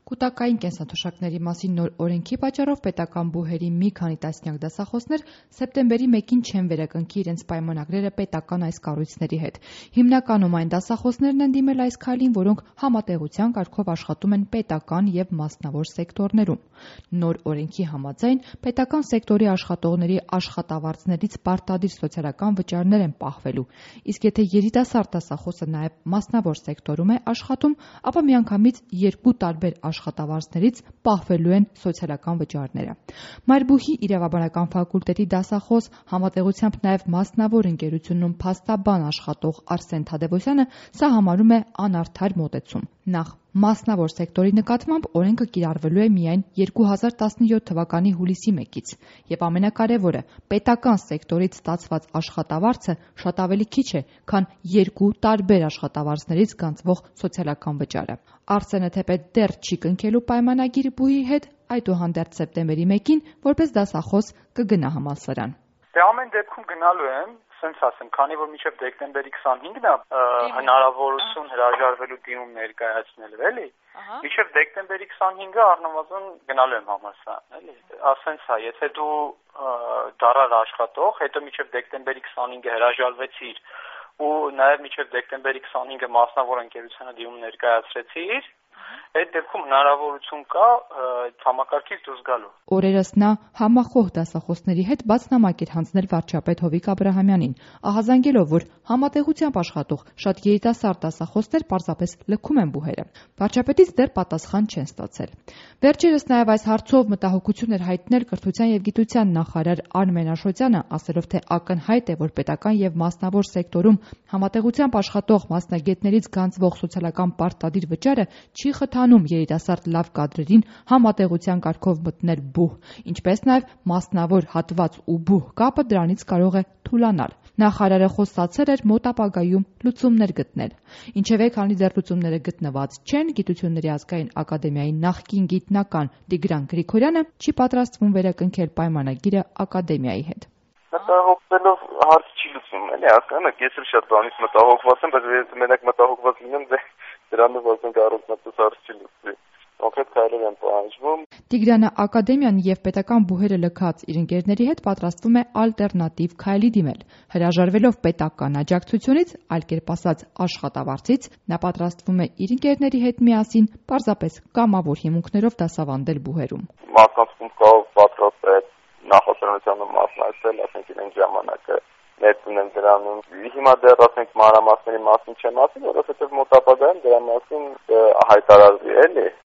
Կուտակային կենսաթոշակների մասին նոր օրենքի պատճառով պետական բուհերի մի քանի տասնյակ դասախոսներ սեպտեմբերի 1-ին չեն վերակնքի իրենց պայմանագրերը պետական այս կառույցների հետ։ Հիմնականում այն դասախոսներն են դիմել այս քայլին, որոնք համատեղության կարգով աշխատում են պետական եւ մասնավոր սեկտորներում։ Նոր օրենքի համաձայն պետական սեկտորի աշխատողների աշխատավարձներից պարտադիր սոցիալական վճարներ են պահվելու, իսկ եթե երիտասարդ դասախոսը նաեւ մասնավոր սեկտորում է աշխատում, ապա միանգամից երկու տարբեր աշխատավարձներից պահվելու են սոցիալական վճարները։ Մայրբուհի իրավաբանական ֆակուլտետի դասախոս, համատեղությամբ նաև մասնավոր ընկերությունում փաստաբան աշխատող Արսեն Թադևոսյանը սա համարում է անարդար մոտեցում։ Նախ մասնավոր սեկտորի նկատմամբ օրենքը կիրառվելու է միայն 2017 թվականի հուլիսի 1-ից, եւ ամենակարևորը, պետական սեկտորից ստացված աշխատավարձը շատ ավելի քիչ է, քան երկու տարբեր աշխատավարձներից գանձվող սոցիալական վճարը։ Արսենը թեպետ դեռ չի կնքելու պայմանագիր բուհի հետ, այդուհանդերձ սեպտեմբերի 1-ին որպես դասախոս կգնա համալսարան։ Ամեն դեպքում գնալու եմ, սենց ասեմ, քանի որ մինչև դեկտեմբերի 25-ն է հնարավորություն հրաժարվելու դիմում ներկայացնելու, էլի։ Մինչև դեկտեմբերի 25-ը առնվազն գնալու եմ համալսարան, էլի։ Ասենց հա, եթե դու դառար աշխատող, հետո մինչև դեկտեմբերի 25-ը հրաժարվեցիր ու նաև մինչև դեկտեմբերի 25-ը մասնավոր ընկերությանը դիմում ներկայացրեցիր, այդ դեպքում հնարավորություն կա համակարգից դուրս գալու։ Օրերս նա համախոհ դասախոսների հետ բաց նամակ էր հանձնել վարչապետ Հովիկ Աբրահամյանին, ահազանգելով, որ համատեղությամբ աշխատող շատ երիտասարդ դասախոսներ պարզապես լքում են բուհերը։ Վարչապետից դեռ պատասխան չեն ստացել։ Վերջերս նաև այս հարցով մտահոգություն էր հայտնել կրթության եւ գիտության նախարար Արմեն Աշոտյանը, ասելով, թե ակնհայտ է, որ պետական եւ մասնավոր սեկտորում համատեղությամբ աշխատող մասնագետներից գանձվող սոցիալական պարտադիր վճարը չի խթանում երիտասարդ լավ կադրերին համատեղության կարգով մտնել բուհ, ինչպես նաև մասնավոր հատված ու բուհ կապը դրանից կարող է թուլանալ։ Նախարարը խոստացել էր մոտ ապագայում լուծումներ գտնել։ Ինչևէ, քանի դեռ լուծումները գտնված չեն, Գիտությունների ազգային ակադեմիայի նախկին գիտնական Տիգրան Գրիգորյանը չի պատրաստվում վերակնքել պայմանագիրը ակադեմիայի հետ։ Մտահոգվելով հարց չի լուծում, էլի ասեմ, ես էլ շատ բանից մտահոգված եմ, բայց եթե մենակ մտահոգված լինեմ, դրանով ասենք առանձնապես հարց չի լուծվի։ Կոնկրետ քայլեր են պահանջվում։ Տիգրանը ակադեմիան եւ պետական բուհերը լքած իր ընկերների հետ պատրաստվում է ալտերնատիվ քայլի դիմել։ Հրաժարվելով պետական աջակցությունից, այլ կերպ ասած աշխատավարձից, նա պատրաստվում է իր ընկերների հետ միասին պարզապես կամավոր հիմունքներով դասավանդել բուհերում։ Մասնակցում կա պատրաստ է նախաձեռնությանը մասնակցել, ասենք իրեն ժամանակը ներդնեմ դրանում։ Հիմա դեռ ասենք մանրամասների մասին չեմ ասի, որովհետեւ մոտ ապագայում դրա մասին հայտարարվի, էլի։